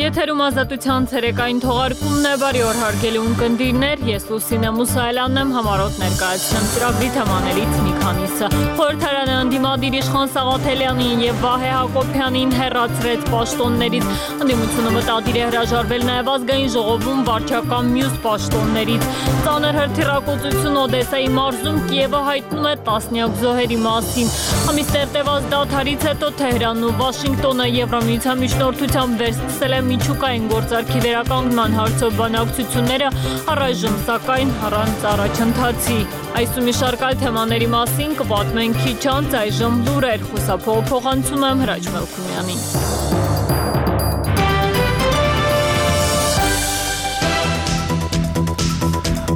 Եթերում ազատության ցերեկային թողարկումն է, բարի օր հարգելի ունկնդիրներ, ես Լուսինե Մուսայելյանն եմ, համառոտ ներկայացնեմ ծրագրի թեմաներից մի քանիսը։ Խորհրդարանը ընդդիմադիր Իշխան Սաղաթելյանին եւ Վահե Հակոբյանին հեռացրեց պաշտոններից, ընդդիմությունը մտադիր է հրաժարվել նաեւ ազգային ժողովում վարչական մյուս պաշտոններից։ Ծանր հրթիռակոծություն Օդեսայի մարզում Կիևը հայտնում է տասնյակ զոհերի մասին։ Ամիս տերտևած դադարից հետո Թեհրանն ու Վաշինգտոնը Եվրամիության միջնորդությամբ վերստացել է միջուկային գործարքի վերականգնման հարցով բանակցությունները, առայժմ սակայն առանց առաջընթացի։ Այս ու մի շարք այլ թեմաների մասին կպատմենք քիչ անց, այժմ լուրեր, խոսափողանցում եմ Հրաչ Մելքումյանին։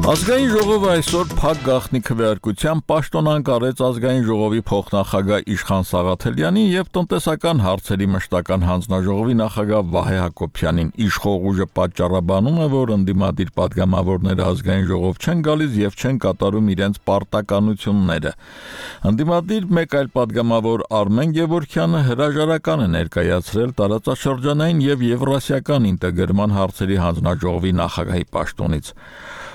Ազգային ժողովը այսօր փակ գաղտնի քվեարկությամբ պաշտոնանկ արեց ազգային ժողովի փոխնախագահ Իշխան Սաղաթելյանին եւ տնտեսական հարցերի մշտական հանձնաժողովի նախագահ Վահե Հակոբյանին։ Իշխող ուժը պատճառաբանում է, որ ընդդիմադիր պատգամավորները ազգային ժողով չեն գալիս եւ չեն կատարում իրենց պարտականությունները։ Ընդդիմադիր մեկ այլ պատգամավոր Արմեն Գևորգյանը հրաժարական է ներկայացրել տարածաշրջանային եւ եվրասիական ինտեգրման հարցերի հանձնաժողովի նախագահի պաշտոնից։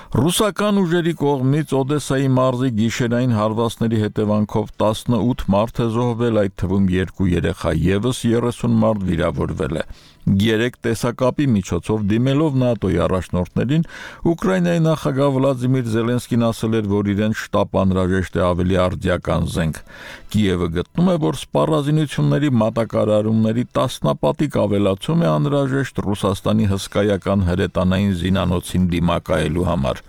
Ռուսական ուժերի կողմից Օդեսայի մարզի գիշերային հարվածների հետևանքով 18 մարդ է զոհվել, այդ թվում 2 երեխա, եւս 30 մարդ վիրավորվել է։ 3 տեսակապի միջոցով դիմելով ՆԱՏՕ-ի առաջնորդներին, Ուկրաինայի նախագահ Վլադիմիր Զելենսկին ասել էր, որ իրեն շտապ անհրաժեշտ է ավելի արդիական զենք։ Կիևը գտնում է, որ սպառազինությունների մատակարարումների տասնապատիկ ավելացում է անհրաժեշտ Ռուսաստանի հսկայական հրետանային զինանոցին դիմակայելու համար։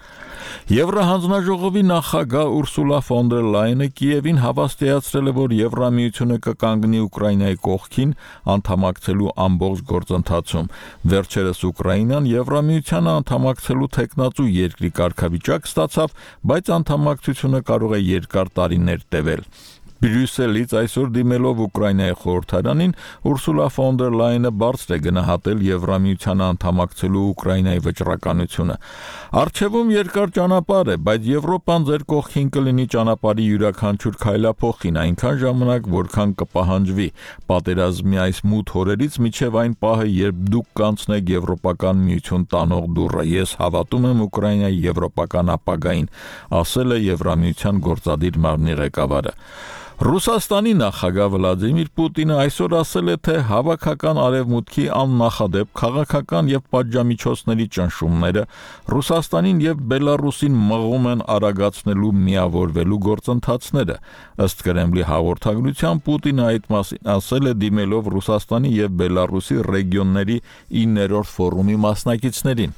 Եվրահանձնաժողովի նախագահ Ուրսուլա ֆոն դեր Լայենը Կիևին հավաստիացրել է, որ Եվրամիությունը կկանգնի Ուկրաինայի կողքին անդամակցելու ամբողջ գործընթացում։ Վերջերս Ուկրաինան Եվրամիությանը անդամակցելու թեկնածու երկրի կարգավիճակ ստացավ, բայց անդամակցությունը կարող է երկար տարիներ տևել։ Բրյուսելից այսօր դիմելով Ուկրաինայի խորհրդարանին Ուրսուլա ֆոն դեր Լայենը բարձր է գնահատել Եվրամիությանը անդամակցելու Ուկրաինայի վճռականությունը։ Առջևում երկար ճանապարհ է, բայց Եվրոպան ձեր կողքին կլինի ճանապարհի յուրաքանչյուր քայլափոխին այնքան ժամանակ, որքան կպահանջվի։ Պատերազմի այս մութ օրերից մինչև այն պահը, երբ դուք կանցնեք Եվրոպական միություն տանող դուռը, ես հավատում եմ Ուկրաինայի եվրոպական ապագային, ասել է Եվրամիության գործադիր մարմնի ղեկավարը։ Ռուսաստանի նախագահ Վլադիմիր Պուտինը այսօր ասել է, թե հավաքական արևմուտքի աննախադեպ քաղաքական եւ պատժամիջոցների ճնշումները Ռուսաստանին եւ Բելարուսին մղում են արագացնելու միավորվելու գործընթացները։ Ըստ Կրեմլի հաղորդագրության Պուտինը այդ մասին ասել է դիմելով Ռուսաստանի եւ Բելարուսի ռեգիոնների 9-րդ ֆորումի մասնակիցներին։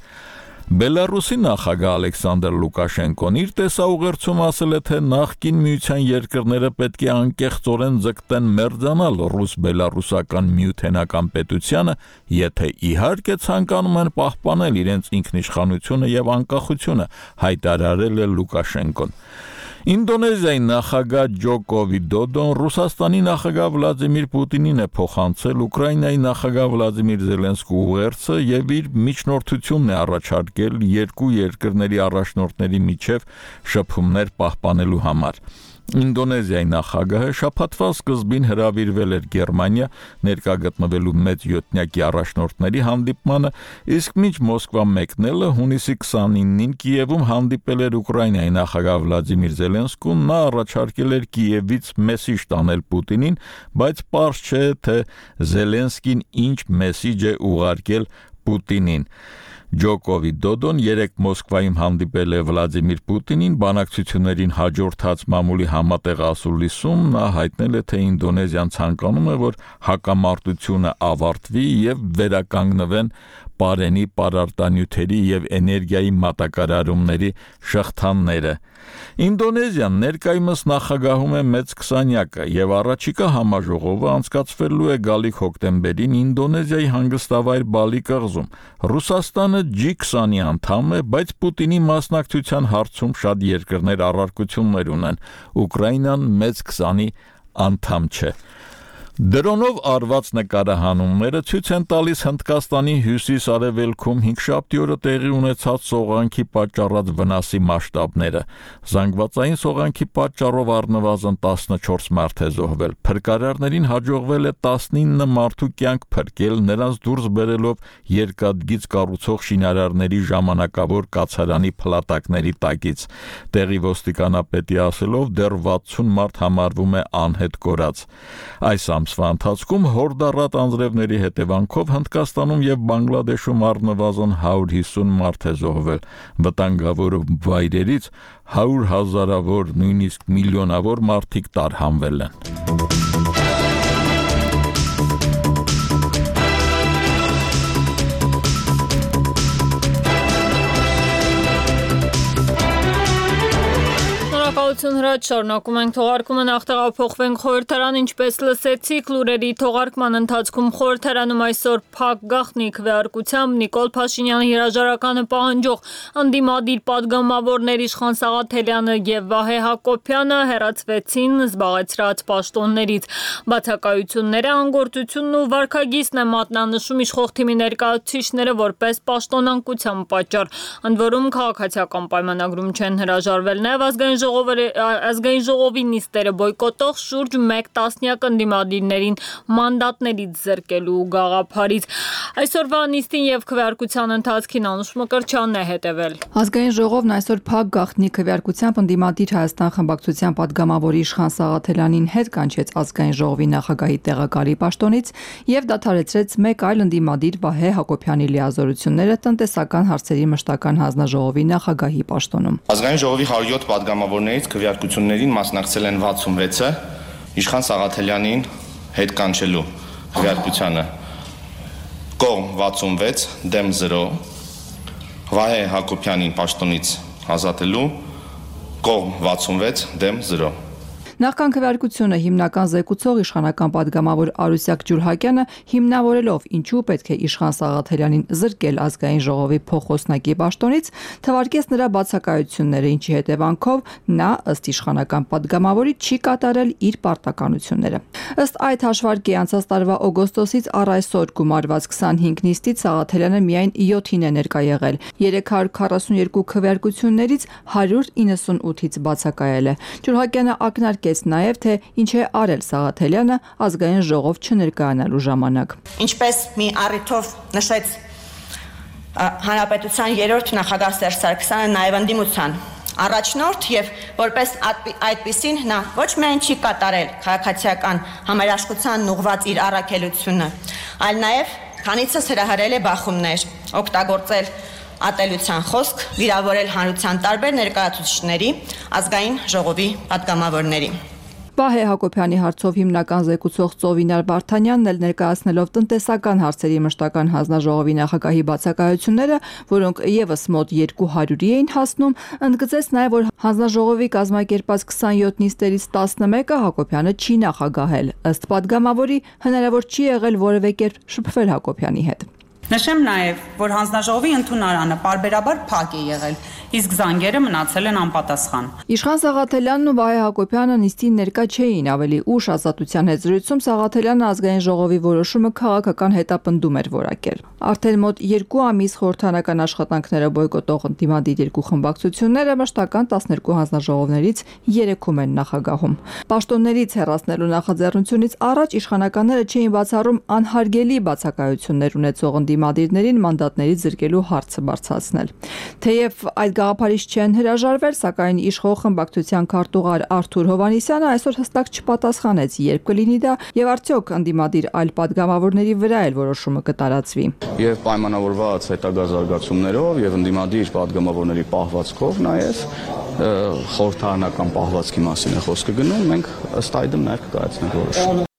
Բելարուսի նախագահ Ալեքսանդր Լուկաշենկոն իր տեսաուղերձում ասել է, թե նախկին միության երկրները պետք է անկեղծորեն ձգտեն մերձանալ ռուս-բելարուսական միութենական պետությանը, եթե իհարկե ցանկանում են պահպանել իրենց ինքնիշխանությունը եւ անկախությունը, հայտարարել է Լուկաշենկոն։ Ինդոնեզիայի նախագահ Ջոկո Վիդոդոն Ռուսաստանի նախագահ Վլադիմիր Պուտինին է փոխանցել Ուկրաինայի նախագահ Վլադիմիր Զելենսկու ուղերձը եւ իր միջնորդությունն է առաջարկել երկու երկրների առաջնորդների միջև շփումներ պահպանելու համար։ Ինդոնեզիայի նախագահը շաբաթվա սկզբին հրավիրվել էր Գերմանիա ներկա գտնվելու մեծ յոթնյակի առաջնորդների հանդիպմանը, իսկ մինչ Մոսկվա մեկնելը հունիսի 29-ին Կիևում հանդիպել էր Ուկրաինայի նախագահ Վլադիմիր Զելենսկուն, նա առաջարկել էր Կիևից մեսիջ տանել Պուտինին, բայց պարզ չէ, թե Զելենսկին ինչ մեսիջ է ուղարկել Պուտինին։ Ջոկո Վիդոդոն երեկ Մոսկվայում հանդիպել է Վլադիմիր Պուտինին, բանակցություններին հաջորդած մամուլի համատեղ ասուլիսում նա հայտնել է, թե Ինդոնեզիան ցանկանում է, որ հակամարտությունը ավարտվի եւ վերականգնվեն Պարենի պարարտանյութերի եւ էներգիայի մատակարարումների շղթաները։ Ինդոնեզիան ներկայումս նախագահում է մեծ 20-յակը եւ առաջիկա համաժողովը անցկացվելու է գալիք հոկտեմբերին Ինդոնեզիայի հանգստավայր Բալի կղզում։ Ռուսաստանը G20-ի անդամ է, բայց Պուտինի մասնակցության հարցում շատ երկրներ առարկություններ ունեն։ Ուկրաինան մեծ 20-ի անդամ չէ։ Դրոնով արված նկարահանումները ցույց են տալիս Հնդկաստանի հյուսիս-արևելքում հինգշաբթի օրը տեղի ունեցած սողանքի պատճառած վնասի մասշտաբները։ Զանգվածային սողանքի պատճառով առնվազն 14 մարդ է զոհվել։ Փրկարարներին հաջողվել է 19 մարդու կյանք փրկել, նրանց դուրս բերելով երկաթգիծ կառուցող շինարարների ժամանակավոր կացարանի փլատակների տակից։ Տեղի ոստիկանապետի ասելով դեռ 60 մարդ համարվում է անհետ կորած։ Այս ամսվա ընթացքում հորդառատ անձրևների հետևանքով Հնդկաստանում եւ Բանգլադեշում առնվազն 150 մարդ է զոհվել։ Վտանգավոր վայրերից 100,000-ավոր, նույնիսկ միլիոնավոր մարդիկ տարհանվել են։ Հրաչ շարունակում ենք թողարկումը, նախ տեղափոխվենք խորհրդարան, ինչպես լսեցիք լուրերի թողարկման ընթացքում խորհրդարանում այսօր փակ գաղտնի քվեարկությամբ Նիկոլ Փաշինյանի հրաժարականը պահանջող ընդդիմադիր պատգամավորներ Իշխան Սաղաթելյանը եւ Վահե Հակոբյանը հեռացվեցին զբաղեցրած պաշտոններից։ Բացակայությունները անգործությունն ու վարքագիծն է մատնանշում իշխող թիմի ներկայացուցիչները որպես պաշտոնանկության պատճառ, ընդ որում քաղաքացիական պայմանագրում չեն հրաժարվել նաեւ ազգային ժողովի նիստերը բոյկոտող շուրջ 1 տասնյակ ընդդիմադիրներին մանդատներից զրկելու գաղափարից։ Այսօրվա նիստին եւ քվեարկության ընթացքին Անուշ Մկրտչյանն է հետևել։ Ազգային ժողովն այսօր փակ գաղտնի քվեարկությամբ ընդդիմադիր Հայաստան խմբակցության պատգամավորի Իշխան Սաղաթելյանին հետ կանչեց ազգային ժողովի նախագահի տեղակալի պաշտոնից եւ դադարեցրեց մեկ այլ ընդդիմադիր Վահե Հակոբյանի լիազորությունները տնտեսական հարցերի մշտական հանձնաժողովի նախագահի պաշտոնում։ Ազգային ժողովի 107 պատգամավորներից քվեարկություններին մասնակցել են 66-ը, Իշխան Սաղաթելյանին հետ կանչելու քվեարկությանը կողմ 66, դեմ 0, Վահե Հակոբյանին պաշտոնից ազատելու կողմ 66, դեմ 0։ Նախքան քվեարկությունը հիմնական զեկուցող իշխանական պատգամավոր Արուսյակ Ջուլհակյանը հիմնավորելով ինչու պետք է Իշխան Սաղաթելյանին զրկել ազգային ժողովի փոխոսնակի պաշտոնից, թվարկեց նրա բացակայությունները, ինչի հետևանքով նա ըստ իշխանական պատգամավորի չի կատարել իր պարտականությունները։ Ըստ այդ հաշվարկի անցած տարվա օգոստոսից առ այսօր գումարված 25 նիստից Սաղաթելյանը միայն 7-ին է ներկա եղել, 342 քվեարկություններից 198-ից բացակայել է։ Ջուլհակյանը ակնարկեց նաև թե ինչ է արել Սաղաթելյանը ազգային ժողով չներկայանալու ժամանակ։ Ինչպես մի առիթով նշեց Հանրապետության 3-րդ նախագահ Սերժ Սարգսյանը նաև ընդդիմության առաջնորդ եւ որպես այդպիսին նա ոչ միայն չի կատարել քաղաքացիական համերաշխությանն ուղղված իր առաքելությունը, այլ նաև քանիցս հրահրել է բախումներ, օգտագործել ատելության խոսք, վիրավորել հանրության տարբեր ներկայացուցիչների, ազգային ժողովի պատգամավորների։ Վահե Հակոբյանի հարցով հիմնական զեկուցող Ծովինար Վարդանյանն էլ ներկայացնելով տնտեսական հարցերի մշտական հանձնաժողովի նախագահի բացակայությունները, որոնք եւս մոտ 200-ի էին հասնում, ընդգծեց նաև, որ հանձնաժողովի կազմակերպած 27 նիստերից 11-ը Հակոբյանը չի նախագահել։ Ըստ պատգամավորի հնարավոր չի եղել որևէ կերպ շփվել Հակոբյանի հետ։ Նշեմ նաև, որ հանձնաժողովի ընդունարանը պարբերաբար փակ է եղել, իսկ զանգերը մնացել են անպատասխան։ Իշխան Սաղաթելյանն ու Վահե Հակոբյանը նիստին ներկա չէին, ավելի ուշ Ազատության հետ զրույցում Սաղաթելյանը ազգային ժողովի որոշումը քաղաքական հետապնդում էր որակել։ Արդեն մոտ 2 ամիս խորհրդարանական աշխատանքները բոյկոտող ընդդիմադիր երկու խմբակցությունները մշտական 12 հանձնաժողովներից 3-ում են նախագահում։ Պաշտոններից հեռացնելու նախաձեռնությունից առաջ իշխանականները չէին բացառում անհարգելի բացակայություններ ունեցող ընդդիմադիրներին մանդատներից զրկելու հարցը բարձրացնել։ Թեև այդ գաղափարից չեն հրաժարվել, սակայն իշխող խմբակցության քարտուղար Արթուր Հովհաննիսյանը այսօր հստակ չպատասխանեց, երբ կլինի դա եւ արդյոք ընդդիմադիր այլ պատգամավորների վրա էլ որոշումը կտարածվի։ Եվ պայմանավորված հետագա զարգացումներով եւ ընդդիմադիր պատգամավորների պահվածքով նաեւ խորհրդարանական պահվածքի մասին է խոսքը գնում, մենք ըստ այդմ նաեւ կկայացնենք որոշումը։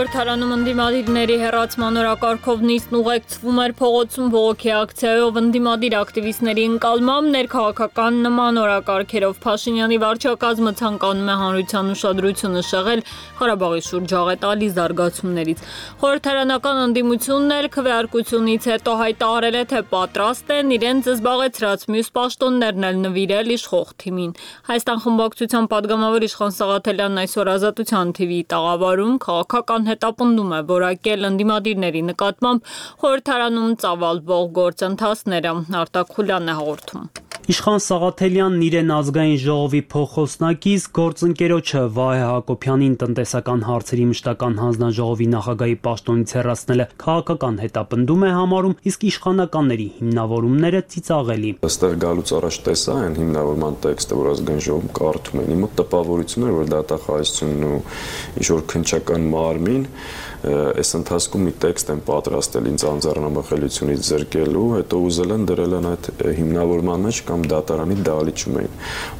Խորհրդարանում ընդդիմադիրների հեռացման օրակարգով նիստն ուղեկցվում էր փողոցում բողոքի ակցիայով ընդդիմադիր ակտիվիստների ընկալմամբ ներքաղաքական նման օրակարգերով Փաշինյանի վարչակազմը ցանկանում է հանրության ուշադրությունը շեղել Ղարաբաղի շուրջ աղետալի զարգացումներից։ Խորհրդարանական ընդդիմությունն էլ քվեարկությունից հետո հայտարարել է, թե պատրաստ են իրենց զբաղեցրած մյուս պաշտոններն էլ նվիրել իշխող թիմին։ Հայաստան խմբակցության պատգամավոր Իշխան Սաղաթելյանն այսօր Ազատության TV-ի տաղավարում քաղաքական հետապնդում է որակել ընդդիմադիրների նկատմամբ խորհրդարանում ծավալվող գործընթացները։ Արտակ Խուլյանն է հաղորդում։ Իշխան Սաղաթելյանն իրեն ազգային ժողովի փոխոսնակից գործընկերոջը Վահե Հակոբյանին տնտեսական հարցերի մշտական հանձնաժողովի նախագահի պաշտոնից հեռացնելը քաղաքական հետապնդում է համարում, իսկ իշխանականների հիմնավորումները ծիծաղելի։ Այստեղ գալուց առաջ տեսա այն հիմնավորման տեքստը, որ ազգային ժողովում կարդում են, իմը տպավորություն էր, որ դատախազությունն ու ինչ-որ քննչական մարմին այս ընթացքում մի տեքստ են պատրաստել ինձ անձեռնամխելիությունից զրկելու, հետո ուզել են դրել են այդ հիմնավորման մեջ կամ դատարանի դահլիճում էին։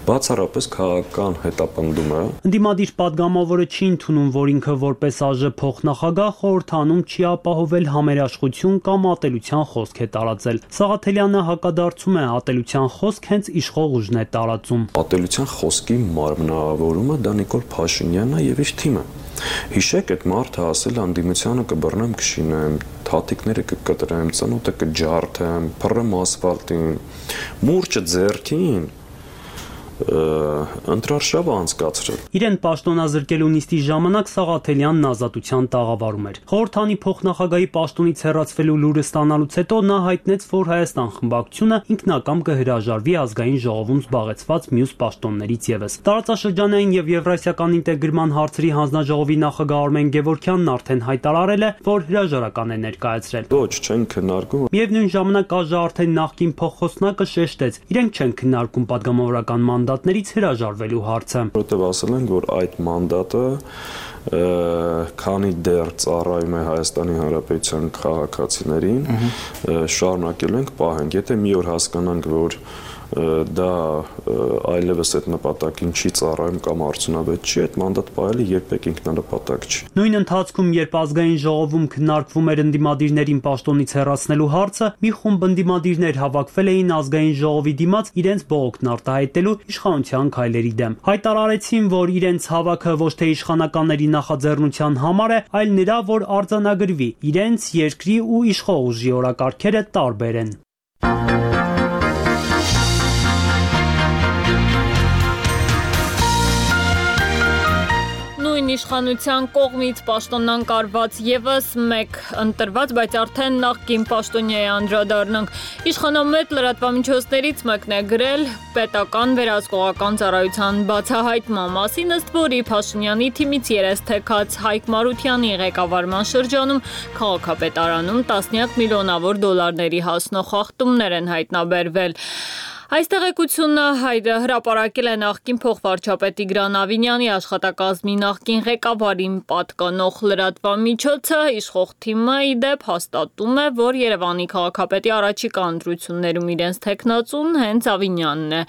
Բացառապես քաղաքական հետապնդումը։ Ընդդիմադիր պատգամավորը չի ընդունում, որ ինքը որպես ԱԺ փոխնախագահ խորհրդանում չի ապահովել համերաշխություն կամ ատելության խոսք է տարածել։ Սաղաթելյանը հակադարձում է, ատելության խոսք հենց իշխող ուժն է տարածում։ Ատելության խոսքի մարմնավորումը դա Նիկոլ Փաշինյանն է եւ իր թիմը։ Հիշեք, այդ մարդը ասել անդիմությանը կբռնեմ, կշինեմ, թաթիկները կկտրեմ, ծնոտը կջարդեմ, փռեմ ասֆալտին, մուրճը ձեռքին ընտրարշավը անցկացրել։ Իրեն պաշտոնազրկելու նիստի ժամանակ Սաղաթելյանն Ազատության տաղավարում էր։ Խորհրդանի փոխնախագահի պաշտոնից հեռացվելու լուրը ստանալուց հետո նա հայտնեց, որ Հայաստան խմբակցությունը ինքնակամ կհրաժարվի ազգային ժողովում զբաղեցված մյուս պաշտոններից ևս։ Տարածաշրջանային եւ եվրասիական ինտեգրման հարցերի հանձնաժողովի նախագահ Արմեն Գևորգյանն արդեն հայտարարել է, որ հրաժարական է ներկայացրել։ Ոչ, չեն քննարկում։ Միևնույն ժամանակ ԱԺ արդեն նախկին փոխոսնակը շեշտեց, իրենք չեն քննարկում պատգամավորական մանդատներից հրաժարվելու հարցը։ Որտեւ ասել են, որ այդ մանդատը քանի դեռ ծառայում է Հայաստանի Հանրապետության քաղաքացիներին, շարունակելու ենք պահենք։ Եթե մի օր հասկանանք, որ դա այլևս այդ նպատակին չի ծառայում կամ արդյունավետ չի, այդ մանդատ պահելը երբեք ինքնանպատակ չի։ Նույն ընթացքում, երբ ազգային ժողովում քննարկվում էր ընդդիմադիրներին պաշտոնից հեռացնելու հարցը, մի խումբ ընդդիմադիրներ հավաքվել էին ազգային ժողովի դիմաց իրենց բողոքն արտահայտելու իշխանության քայլերի դեմ։ Հայտարարեցին, որ իրենց հավաքը ոչ թե իշխանականների նախաձեռնության համար է, այլ նրա, որ արձանագրվի իրենց երկրի ու իշխող ուժի օրակարգերը տարբեր են։ Իշխանության կողմից պաշտոնանկարված եւս մեկ ընտրված, բայց արդեն նախկին պաշտոնյայի անդրադառնանք։ Իշխանամետ լրատվամիջոցներից մեկն է գրել պետական վերահսկողական ծառայության բացահայտման մասին, ըստ որի Փաշինյանի թիմից երես թեքած Հայկ Մարությանի ղեկավարման շրջանում քաղաքապետարանում տասնյակ միլիոնավոր դոլարների հասնող խախտումներ են հայտնաբերվել։ Այս տեղեկությունը հրապարակել է նախկին փոխվարչապետ Տիգրան Ավինյանի աշխատակազմի նախկին ղեկավարին պատկանող լրատվամիջոցը։ Իշխող թիմը ի դեպ հաստատում է, որ Երևանի քաղաքապետի առաջիկա ընտրություններում իրենց թեկնածուն հենց Ավինյանն է։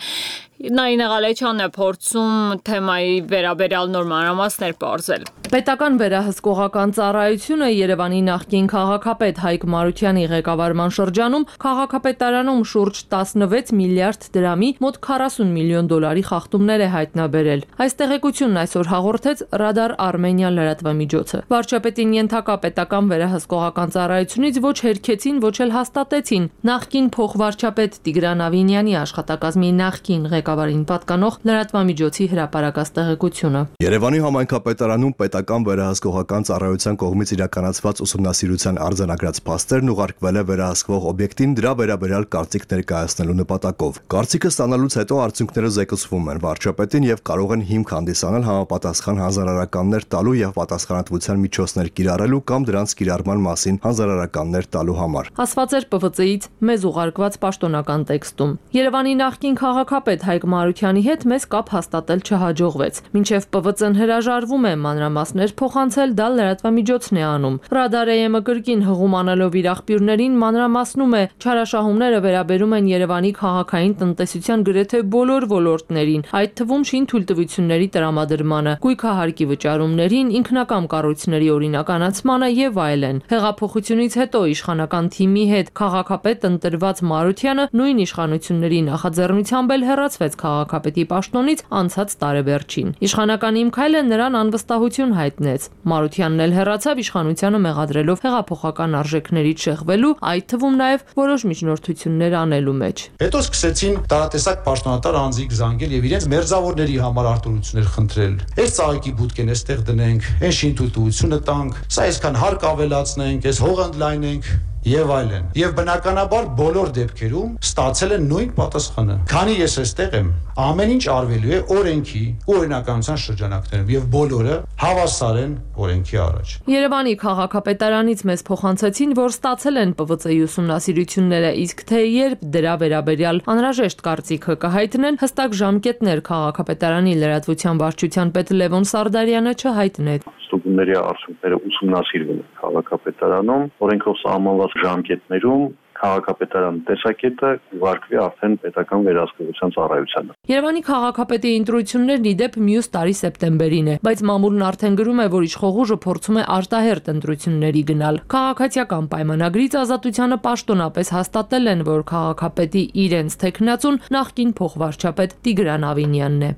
Նայինե Ղալեչյանն է փորձում թեմայի վերաբերյալ նոր մանրամասներ պարզել։ Պետական վերահսկողական ծառայությունը Երևանի նախկին քաղաքապետ Հայկ Մարությանի ղեկավարման շրջանում քաղաքապետարանում շուրջ 16 միլիարդ դրամի մոտ 40 միլիոն դոլարի խախտումներ է հայտնաբերել։ Այս տեղեկությունն այսօր հաղորդեց Ռադար Արմենիան լրատվամիջոցը։ Վարչապետին ենթակա պետական վերահսկողական ծառայությունից ոչ հերքեցին, ոչ էլ հաստատեցին նախկին փոխվարչապետ Տիգրան Ավինյանի աշխատակազմի նախկին ղեկավարին պատկանող լրատվամիջոցի հրապարակած տեղեկությունը։ Երևանի համայնքապետարանում պետական վերահսկողական ծառայության կողմից իրականացված ուսումնասիրության արձանագրած փաստերն ուղարկվել է վերահսկվող օբյեկտին դրա վերաբերյալ կարծիք ներկայացնելու նպատակով։ Կարծիքը ստանալուց հետո արդյունքները զեկուցվում են վարչապետին եւ կարող են հիմք հանդիսանալ համապատասխան հանձնարարականներ տալու եւ պատասխանատվության միջոցներ կիրառելու կամ դրանց կիրառման մասին հանձնարարականներ տալու համար։ Ասված էր ՊՎԾ-ից մեզ ուղարկված պաշտոնական տեքստում։ Երևանի նախկին քաղաքապետ Հայկ Մարությանի հետ մեզ կապ հաստատել չհաջողվեց։ Մինչև ՊՎԾ-ն հրաժարվում է մանրամասներ միջոցներ փոխանցել, դա լրատվամիջոցն է անում։ Radar AM-ը կրկին հղում անելով իր աղբյուրներին մանրամասնում է, չարաշահումները վերաբերում են Երևանի քաղաքային տնտեսության գրեթե բոլոր ոլորտներին, այդ թվում շինթույլտվությունների տրամադրմանը, գույքահարկի վճարումներին, ինքնակամ կառույցների օրինականացմանը եւ այլն։ Հեղափոխությունից հետո իշխանական թիմի հետ քաղաքապետ ընտրված Մարությանը նույն իշխանությունների նախաձեռնությամբ էլ հեռացվեց քաղաքապետի պաշտոնից անցած տարեվերջին։ Իշխանական իմ քայլը նրան անվստահություն հայտնեց։ Մարությանն էլ հեռացավ իշխանությանը մեղադրելով հեղափոխական արժեքներից շեղվելու, այդ թվում նաև որոշ միջնորդություններ անելու մեջ։ Հետո սկսեցին տարատեսակ պաշտոնատար անձիկ զանգել եւ իրենց մերձավորների համար արտոնություններ խնդրել։ Այս ծաղիկի բուտկեն էստեղ դնենք, այն շինթույլտվությունը տանք, սա այսքան հարկ ավելացնենք, այս հող ընդլայնենք եւ այլն։ Եվ բնականաբար բոլոր դեպքերում ստացել են նույն պատասխանը։ Քանի ես այստեղ եմ, ամեն ինչ արվելու է օրենքի ու օրինականության շրջանակներում եւ բոլորը հավասար են օրենքի առաջ։ Երևանի քաղաքապետարանից մեզ փոխանցեցին, որ ստացել են ՊՎԾ-ի ուսումնասիրությունները, իսկ թե երբ դրա վերաբերյալ անհրաժեշտ կարծիքը կհայտնեն, հստակ ժամկետներ քաղաքապետարանի լրատվության վարչության պետ Լևոն Սարդարյանը չհայտնեց։ Ստուգումների արդյունքները ուսումնասիրվում են քաղաքապետարանում, օրենքով սահմանված ժամկետներում քաղաքապետարան տեսակետը ուղարկվի արդեն պետական վերահսկողության ծառայությանը։ Երևանի քաղաքապետի ընտրություններն ի դեպ մյուս տարի սեպտեմբերին է, բայց մամուլն արդեն գրում է, որ իշխողուժը փորձում է արտահերթ ընտրությունների գնալ։ Քաղաքացիական պայմանագրից Ազատությանը պաշտոնապես հաստատել են, որ քաղաքապետի իրենց թեկնածուն նախկին փոխվարչապետ Տիգրան Ավինյանն է։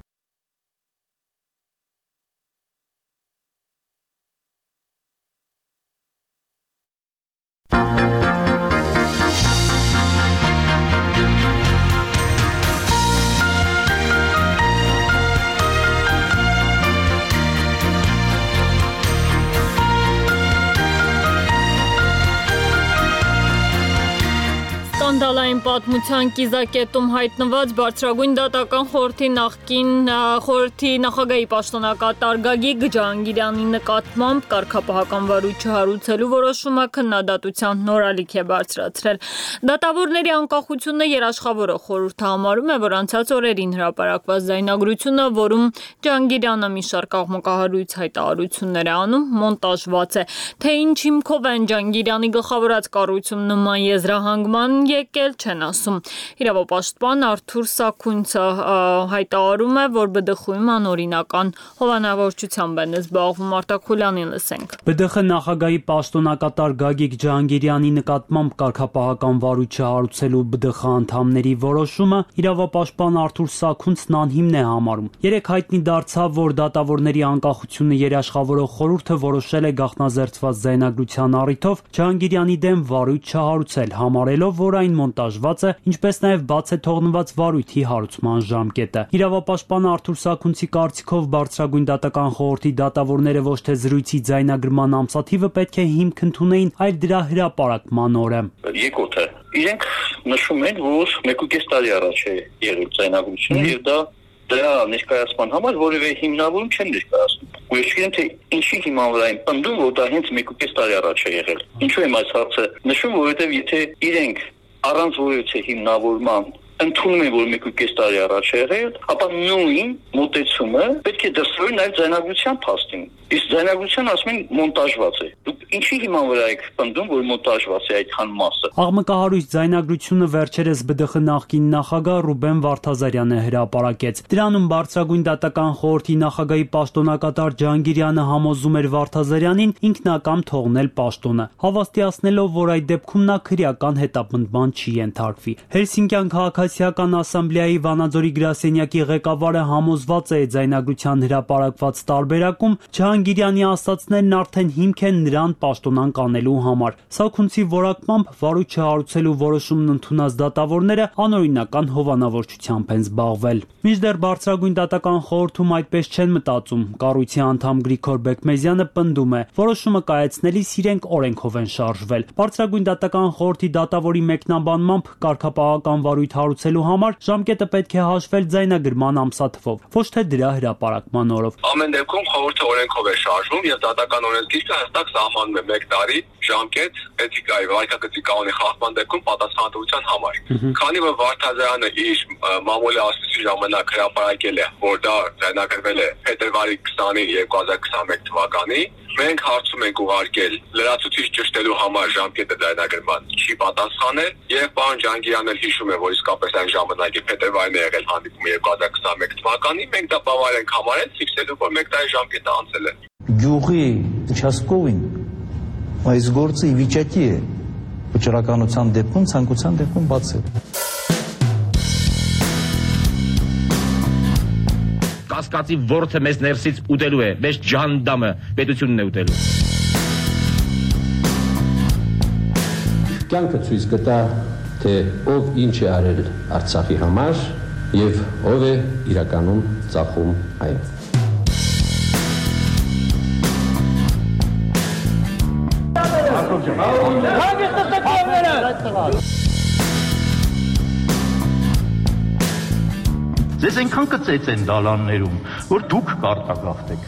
Սկանդալային պատմության կիզակետում հայտնված բարձրագույն դատական խորհրդի նախագահի պաշտոնակատար Գագիկ Ջհանգիրյանի նկատմամբ կարգապահական վարույթ չհարուցելու որոշումը քննադատության նորալիք է բարձրացրել։ Դատավորների անկախությունը երաշխավորը խորհուրդը համարում է, որ անցած օրերին հրապարակված ձայնագրությունը, որում Ջհանգիրյանը մի շարք աղմկահարույց հայտարարություններ է անում, մոնտաժված է, թե ինչ հիմքով են Ջհանգիրյանի գլխավորած կառույցում նման եզրահանգման եկել չեն ասում։ Իրավապաշտպան Արթուր Սաքունցը հայտարարում է, որ ԲԴԽ-ում անօրինական հովանավորչությամբ են զբաղվում։ Արտակուլյանին լսենք։ ԲԴԽ նախագահի պաշտոնակատար Գագիկ Ջհանգիրյանի նկատմամբ կարգապահական վարույթ չհարուցելու ԲԴԽ անդամների որոշումը իրավապաշտպան Արթուր Սաքունցն անհիմն է համարում։ Երեկ հայտնի դարձավ, որ դատավորների անկախությունը երաշխավորող խորհուրդը որոշել է գաղտնազերծված ձայնագրության առիթով Ջհանգիրյանի դեմ վարույթ չհարուցել, համարելով, որ այն մոնտաժված է, ինչպես նաև բաց է թողնված վարույթի հարուցման ժամկետը։ Իրավապաշտպան Արթուր Սաքունցի կարծիքով բարձրագույն դատական խորհրդի դատավորները ոչ թե զրույցի ձայնագրման ամսաթիվը պետք է հիմք ընդունեին, այլ դրա հրապարակման օրը։ Եկոթը իրենք նշում են, որ 1.5 տարի առաջ է եղել ձայնագրությունը եւ դրա ներկայացման համար որևէ հիմնավորում չեն ներկայացնում։ Ու ես գիտեմ, թե ինչի հիման վրա են պնդում, որ դա հենց 1.5 տարի առաջ է եղել։ Ինչու եմ այս հարցը նշում, որովհետեւ եթե իրենք առանց որևէ հիմնավորման ընդունում են, որ 1.5 տարի առաջ է եղել, ապա նույն մոտեցումը պետք է դրսևորվի նաև ձայնագրության փաստին։ Իսկ ձայնագրության ասում են մոնտաժված է։ Դուք ինչի հիման վրա եք պնդում, որ մոնտաժված է այդքան մասը։ Աղմկահարույց ձայնագրությունը վերջերս ԲԴԽ նախկին նախագահ Ռուբեն Վարդազարյանը հրապարակեց։ Դրանում բարձրագույն դատական խորհրդի նախագահի պաշտոնակատար Ջհանգիրյանը համոզում էր Վարդազարյանին ինքնակամ թողնել պաշտոնը, հավաստիացնելով, որ այդ դեպքում նա քրեական հետապնդման չի ենթարկվի։ Հելսինկյան քաղաքացիական ասամբլեայի Վանաձորի գրասենյակի ղեկավարը համոզված է ձայնագրության հրապարակված տարբերակում Ջհանգիրյանի ասացներն արդեն հիմք են նրան պաշտոնանկ անելու համար։ Սաքունցի որակմամբ վարույթ չհարուցելու որոշումն ընդունած դատավորները անօրինական հովանավորչությամբ են զբաղվել։ Մինչդեռ բարձրագույն դատական խորհրդում այդպես չեն մտածում։ Կառույցի անդամ Գրիգոր Բեկմեզյանը պնդում է, որոշումը կայացնելիս իրենք օրենքով են շարժվել։ Բարձրագույն դատական խորհրդի դատավորի մեկնաբանմամբ կարգապահական վարույթ հարուցելու համար ժամկետը պետք է հաշվել ձայնագրման ամսաթվով, ոչ թե դրա հրապարակման օրով։ Ամեն դեպքում խորհուրդը օրենքով է շարժվում եւ դատական օրենսգիրքը հստակ սահմանում է 1 տարի ժամկետ էթիկայի վարքագծի կանոնի խախտման դեպքում պատասխանատվության համար։ Քանի որ Վարդազարյանը իր մամուլի ասուլիսի ժամանակ հրապարակել է, որ դա ձայնագրվել է փետրվարի 20-ին 2021 թվականի, մենք հարցում ենք ուղարկել լրացուցիչ ճշտելու համար ժամկետը ձայնագրման չի պատասխանել եւ պարոն Ջանգիրյանն էլ հիշում է, որ իսկապես այն ժամանակի փետրվարին է եղել հանդիպումը 2021 թվականին, մենք դա բավարար ենք համարել, ֆիքսելու, որ 1 տարի ժամկետը անցել է։ Գյուղի участковին այս գործը ի վիճակի է վճռականության դեպքում, ցանկության դեպքում բացել։ Կասկածի ворթը մեզ ներսից ուտելու է, մեզ ջանդամը պետությունն է ուտելու։ Կյանքը ցույց կտա, թե ով ինչ է արել Արցախի համար եւ ով է իրականում ծախում այն։ Ձեզ այնքան կծեց են դալաններում, որ դուք կարտագաղթեք։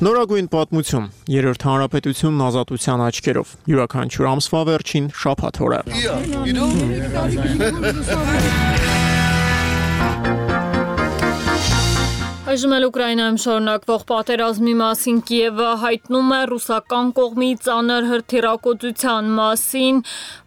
Նորագույն պատմություն, երրորդ հանրապետությունն ազատության աչքերով, յուրաքանչյուր ամսվա վերջին շաբաթ օրը։ Այժմ էլ Ուկրաինայում շարունակվող պատերազմի մասին Կիևը հայտնում է ռուսական կողմի ծանր հրթիռակոծության մասին,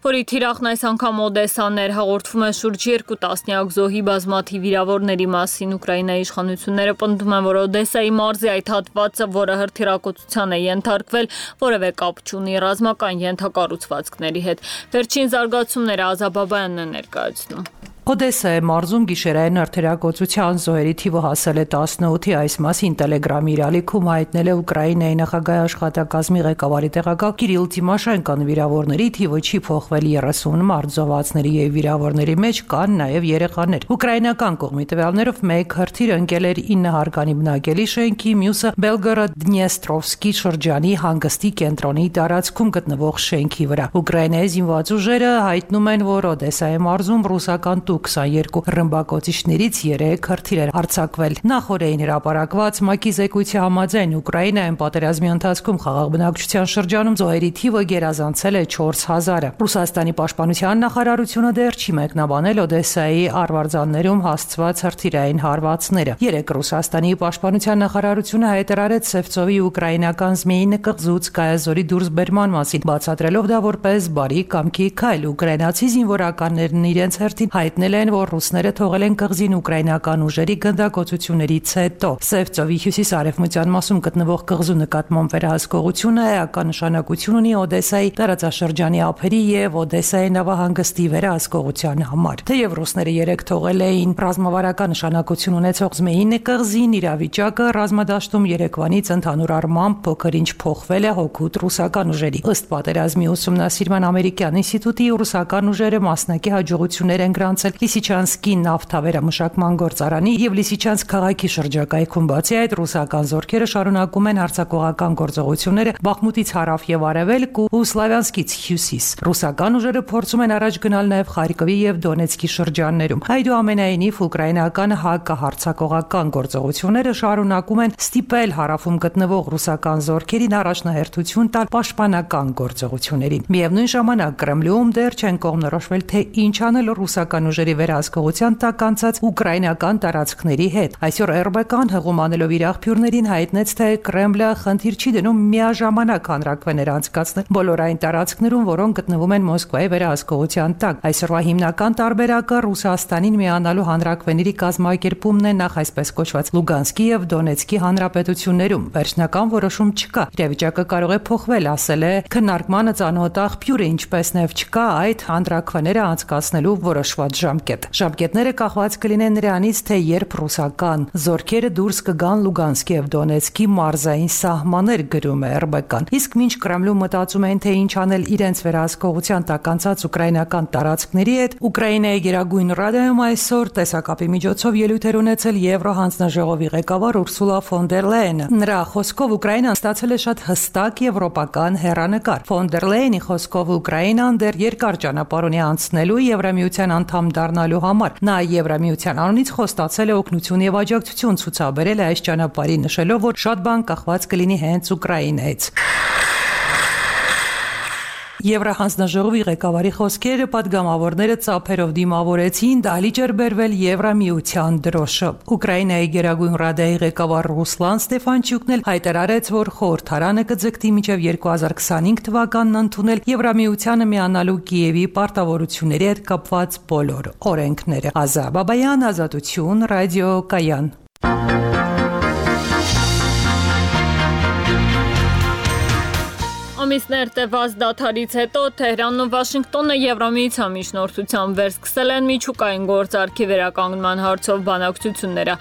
որի թիրախն այս անգամ Օդեսաներ հաղորդվում է շուրջ 2 տասնյակ զոհի բազմաթիվ վիրավորների մասին։ Ուկրաինայի իշխանությունները պնդում են, որ Օդեսայի մարզի այդ հատվածը, որը հրթիռակոծության է ենթարկվել, որևէ կապ չունի ռազմական ենթակառուցվածքների հետ։ Վերջին զարգացումները Ազաբաբայանն է ներկայացնում։ Օդեսայի մարզում գիշերային հրթիռակոծության զոհերի թիվը հասել է 18-ի, այս մասին Տելեգրամի իրալիքում հայտնել է Ուկրաինայի նախագահի աշխատակազմի ղեկավարի տեղակալ Կիրիլ Տիմոշենկոն։ Վիրավորների թիվը չի փոխվել 30 մարդ, զոհվածների եւ վիրավորների մեջ կան նաեւ երեխաներ։ Ուկրաինական կողմի տվյալներով մեկ հրթիռ ընկել էր 9 հարկանի բնակելի շենքի, մյուսը Բելգորոդ-Դնեստրովսկի շրջանի հանգստի կենտրոնի տարածքում գտնվող շենքի վրա։ Ուկրաինայի զինված ուժերը հայտնում են, որ Օդեսայի մարզում ռուսական 22 ռմբակոծիչներից 3 հրթիռ արձակվել։ Նախորդին հրապարակված ՄԱԿ-ի զեկույցի համաձայն Ուկրաինայում պատերազմի ընթացքում խաղաղ բնակչության շրջանում զոհերի թիվը գերազանցել է 4000-ը։ Ռուսաստանի պաշտպանության նախարարությունը դեռ չի մեկնաբանել Օդեսայի արվարձաններում հասցված հրթիռային հարվածները։ Երեկ Ռուսաստանի պաշտպանության նախարարությունը հայտարարեց Սևծովի ուկրաինական Զմեյինը կղզուց Կայազորի դուրսբերման մասին, բացատրելով դա որպես բարի կամքի քայլ։ Ուկրաինացի զինվորականներն իրենց հերթին հայտնել են, որ ռուսները թողել են կղզին ուկրաինական ուժերի գնդակոծություններից հետո։ Սևծովի հյուսիս-արևմտյան մասում գտնվող կղզու նկատմամբ վերահսկողությունը էական նշանակություն ունի Օդեսայի տարածաշրջանի ափերի եւ Օդեսայի նավահանգստի վերահսկողության համար։ Թեև ռուսները երեք թողել էին ռազմավարական նշանակություն ունեցող Զմեյինը կղզին, իրավիճակը ռազմադաշտում երեկվանից ընդհանուր առմամբ փոքր-ինչ փոխվել է հօգուտ ռուսական ուժերի։ Ըստ պատերազմի ուսումնասիրման ամերիկյան ինստիտուտի ռուսական ուժերը մասնակի հաջողություններ են գրանցել Լիսիչանսկի նավթավերամշակման գործարանի եւ Լիսիչանսկ քաղաքի շրջակայքում։ Բացի այդ, ռուսական զորքերը շարունակում են հարձակողական գործողությունները Բախմուտից հարավ եւ արևելք ու Սլավյանսկից հյուսիս։ Ռուսական ուժերը փորձում են առաջ գնալ նաեւ Խարկովի եւ Դոնեցկի շրջաններում։ Այդուամենայնիվ, ուկրաինական հակահարձակողական գործողությունները շարունակում են ստիպել հարավում գտնվող ռուսական զորքերին առաջնահերթություն տալ պաշտպանական գործողություններին։ Միևնույն ժամանակ Կրեմլում դեռ չեն կողմնորոշվել, թե ինչ անել ռուսական ուժերի վերահսկողության տակ անցած ուկրաինական տարածքների հետ։ Այսօր ՌԲԿ-ն հղում անելով իր աղբյուրներին հայտնեց, թե Կրեմլը խնդիր չի դնում միաժամանակ հանրաքվեներ անցկացնել բոլոր այն տարածքներում, որոնք գտնվում են Մոսկվայի վերահսկողության տակ։ Այսօրվա հիմնական տարբերակը Ռուսաստանին միանալու հանրաքվեների կազմակերպումն է նախ այսպես կոչված Լուգանսկի եւ Դոնեցկի հանրապետություններում։ Վերջնական որոշում չկա։ Իրավիճակը կարող է փոխվել, ասել է քննարկմանը ծանոթ աղբյուրը, ինչպես նաեւ չկա այդ հանրաքվեները անցկացնելու որոշված ժամկետ։ Ժամկետները կախված կլինեն նրանից, թե երբ ռուսական զորքերը դուրս կգան Լուգանսկի եւ Դոնեցկի մարզային սահմաններ, գրում է ՌԲԿ-ն։ Իսկ մինչ Կրեմլում մտածում են, թե ինչ անել իրենց վերահսկողության տակ անցած ուկրաինական տարածքների հետ, Ուկրաինայի Գերագույն Ռադայում այսօր տեսակապի միջոցով ելույթ էր ունեցել Եվրոհանձնաժողովի ղեկավար Ուրսուլա ֆոն դեր Լեյենը։ Նրա խոսքով Ուկրաինան ստացել է շատ հստակ եվրոպական հեռանկար։ Ֆոն դեր Լեյենի խոսքով Ուկրաինան դեռ երկար ճանապարհ ունի անցնելու Եվրամիության անդամ դառնալու համար։ Նա Եվրամիության անունից խոստացել է օգնություն եւ աջակցություն ցուցաբերել այս ճանապարհի, նշելով, որ շատ բան կախված կլինի հենց Ուկրաինայից։ Եվրահանձնաժողովի ղեկավարի խոսքերը պատգամավորները ծափերով դիմավորեցին, դալիճ էր բերվել Եվրամիության դրոշը։ Ուկրաինայի Գերագույն ռադայի ղեկավար Ռուսլան Ստեֆանչյուկն էլ հայտարարեց, որ խորհրդարանը կձգտի մինչև 2025 թվականն ընդունել Եվրամիությանը միանալու Կիևի պարտավորությունների հետ կապված բոլոր օրենքները։ Ազա Բաբայան, Ազատություն, Ռադիո Կայան։ Ամիսներ տևած դադարից հետո Թեհրանն ու Վաշինգտոնը Եվրամիության միջնորդությամբ վերսկսել են միջուկային գործարքի վերականգնման հարցով բանակցությունները։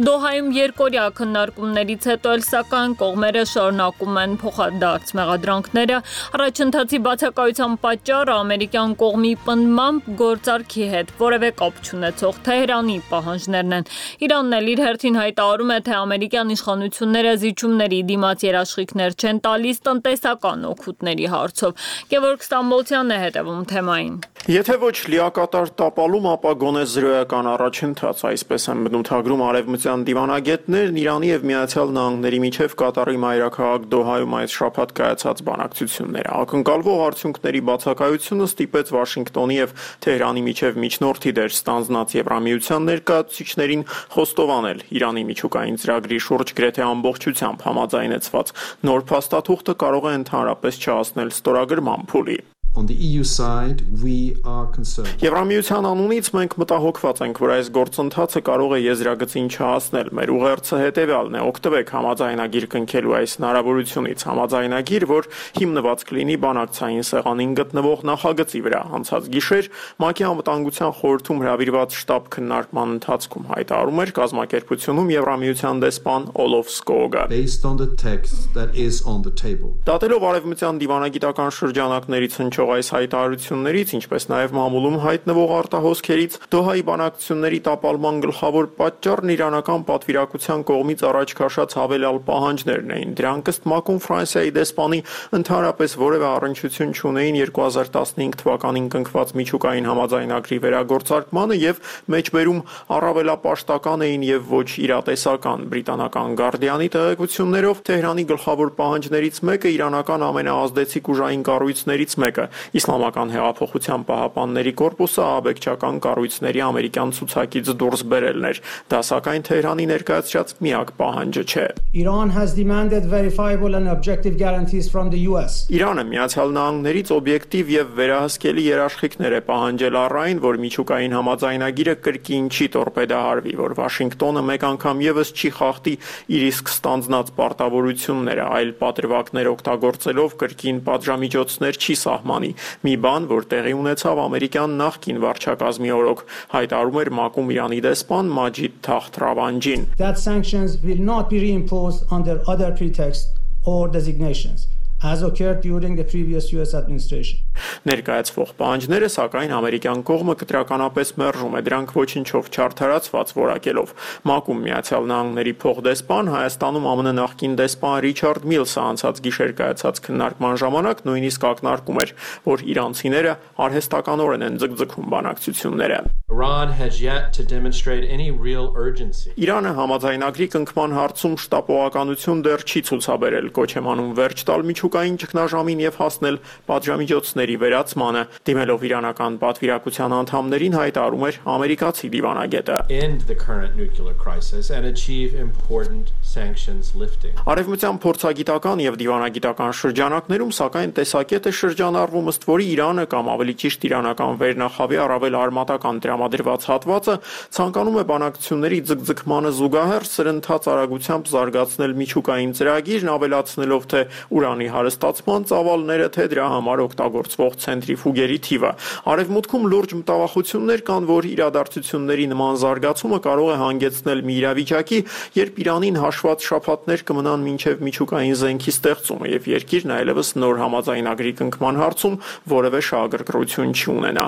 Դոհայում երկօրյա քննարկումներից հետո էլ սակայն կողմերը շարունակում են փոխադարձ մեղադրանքները։ Առաջընթացի բացակայության պատճառը ամերիկյան կողմի պնդմամբ գործարքի հետ որևէ կապ չունեցող Թեհրանի պահանջներն են։ Իրանն էլ իր հերթին հայտարարում է, թե ամերիկյան իշխանությունները զիջումների դիմաց երաշխիքներ չեն տալիս տնտեսական օգուտների հարցով։ Գևորգ Ստամբոլցյանն է հետևում թեմային։ Եթե ոչ լիակատար տապալում, ապա գոնե զրոյական առաջընթաց, այսպես են բնութագրում արևմտյան դիվանագետներն Իրանի եւ Միացյալ Նահանգների միջև Կատարի մայրաքաղաք Դոհայում այս շաբաթ կայացած բանակցությունները։ Ակնկալվող արդյունքների բացակայությունը ստիպեց Վաշինգտոնի եւ Թեհրանի միջև միջնորդի դեր ստանձնած Եվրամիության ներկայացուցիչներին խոստովանել Իրանի միջուկային ծրագրի շուրջ գրեթե ամբողջությամբ համաձայնեցված նոր փաստաթուղթը կարող է ընդհանրապես չհասնել ստորագրման փուլի։ On the EU side, we are concerned. Եվրամիության անունից մենք մտահոգված ենք, որ այս գործընթացը կարող է եզրագծին չհասնել։ Մեր ուղերձը հետևյալն է՝ օգտվեք համաձայնագիր կնքելու այս հնարավորությունից, համաձայնագիր, որ հիմնված կլինի բանակցային սեղանին գտնվող նախագծի վրա։ Անցած գիշեր ՄԱԿ-ի անվտանգության խորհրդում հրավիրված շտաբ քննարկման ընթացքում հայտարարում էր կազմակերպությունում Եվրամիության դեսպան Օլոֆ Սկոգը։ Based on the text that is on the table. Դատելով արևմտյան դիվանագիտական շրջանակներից հնչող այս հայտարարություններից, ինչպես նաև մամուլում հայտնվող արտահոսքերից, Դոհայի բանակցությունների տապալման գլխավոր պատճառն իրանական պատվիրակության կողմից առաջ քաշած հավելյալ պահանջներն էին։ Դրանք ըստ ՄԱԿ-ում Ֆրանսիայի դեսպանի ընդհանրապես որևէ առնչություն չունեին 2015 թվականին կնքված միջուկային համաձայնագրի վերագործարկմանը եւ մեջբերում առավելապաշտական էին եւ ոչ իրատեսական։ Բրիտանական Գարդիանի տեղեկություններով Թեհրանի գլխավոր պահանջներից մեկը իրանական ամենաազդեցիկ ուժային կառույցներից մեկը Իսլամական հեղափոխության պահապանների կորպուսը աբեկչական կառույցների ամերիկյան ցուցակից դուրս բերելն էր։ Դա սակայն Թեհրանի ներկայացրած միակ պահանջը չէ։ Iran has demanded verifiable and objective guarantees from the US. Իրանը Միացյալ Նահանգներից օբյեկտիվ եւ վերահսկելի երաշխիքներ է պահանջել առայն, որ միջուկային համաձայնագիրը կրկին չի տորպեդահարվի, որ Վաշինգտոնը մեկ անգամ եւս չի խախտի իր իսկ ստանձնած պարտավորությունները, այլ պատրվակներ օգտագործելով կրկին պատժամիջոցներ չի սահմանի։ Մի բան, որ տեղի ունեցավ ամերիկյան նախկին վարչակազմի օրոք, հայտարարում էր ՄԱԿ-ում Իրանի դեսպան Մաջիդ Թախտ Ռավանջին։ That sanctions will not be reimposed under other pretexts or designations, as occurred during the previous US administration. Ներկայացվող պահանջները սակայն ամերիկյան կողմը կտրականապես մերժում է, դրանք ոչինչով չարդարացված որակելով։ ՄԱԿ-ում Միացյալ Նահանգների փոխդեսպան, Հայաստանում ԱՄՆ նախկին դեսպան Ռիչարդ Միլսը անցած գիշեր կայացած քննարկման ժամանակ նույնիսկ ակնարկում էր, որ իրանցիները արհեստականորեն են ձգձգում բանակցությունները։ Iran has yet to demonstrate any real urgency. Իրանը համաձայնագրի կնքման հարցում շտապողականություն դեռ չի ցուցաբերել, կոչ է անում վերջ տալ միջուկային ճգնաժամին եւ հասնել պատժամիջոցների վերացմանը։ Դիմելով իրանական պատվիրակության անդամներին հայտարարում էր ամերիկացի դիվանագետը։ End the current nuclear crisis and achieve important sanctions lifting. Արևմտյան փորձագիտական եւ դիվանագիտական շրջանակներում սակայն տեսակետ է շրջանառվում, ըստ որի Իրանը կամ ավելի ճիշտ իրանական վերնախավի առավել արմատական տրամադրված հատվածը ցանկանում է բանակցությունների ձգձգմանը զուգահեռ սրընթաց արագությամբ զարգացնել միջուկային ծրագիրն, ավելացնելով թե ուրանի հարստացման ծավալները, թե դրա համար օգտագործվող ցենտրիֆուգերի թիվը։ Արևմուտքում լուրջ մտավախություններ կան, որ իրադարձությունների նման զարգացումը կարող է հանգեցնել մի իրավիճակի, երբ Իրանին հաշված շաբաթներ կմնան մինչև միջուկային զենքի ստեղծումը եւ երկիրն այլևս նոր համաձայնագրի կնքման հարցում որևէ շահագրգռություն չունենա։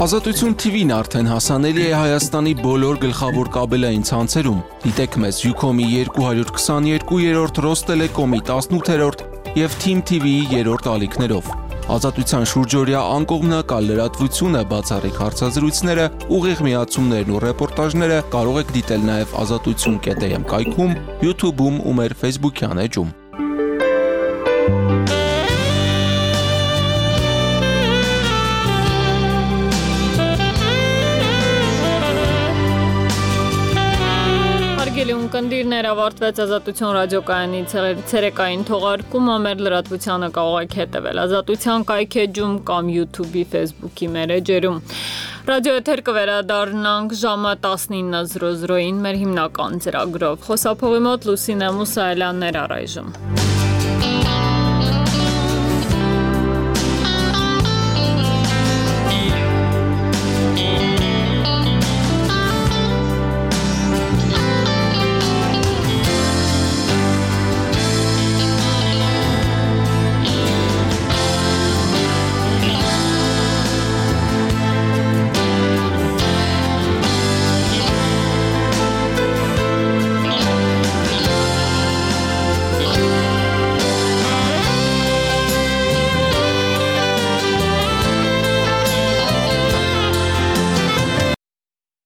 Ազատություն TV-ն արդեն հասանելի է Հայաստանի բոլոր գլխավոր կաբելային ցանցերում։ Դիտեք մեզ Ucom-ի 222-րդ, Rosttelecom-ի 18-րդ եւ Team TV-ի 3-րդ ալիքներով։ Ազատության շուրջօրյա անկողմնակալ լրատվությունը, բացառիկ հարցազրույցները, ուղիղ միացումներն ու ռեպորտաժները կարող եք դիտել նաև azatutsun.am կայքում, YouTube-ում ու մեր Facebook-յան էջում։ Հարգելի ունկնդիրներ, ավարտվեց Ազատություն ռադիոկայանի ցերեկային թողարկումը, մեր լրատվությանը կարող եք հետևել Ազատության կայքեջում կամ YouTube-ի, Facebook-ի մեր էջերում։ Ռադիոեթեր կվերադառնանք ժամը 19:00-ին մեր հիմնական ծրագրով։ Խոսափողի մոտ Լուսինե Մուսայելյանն էր առայժմ։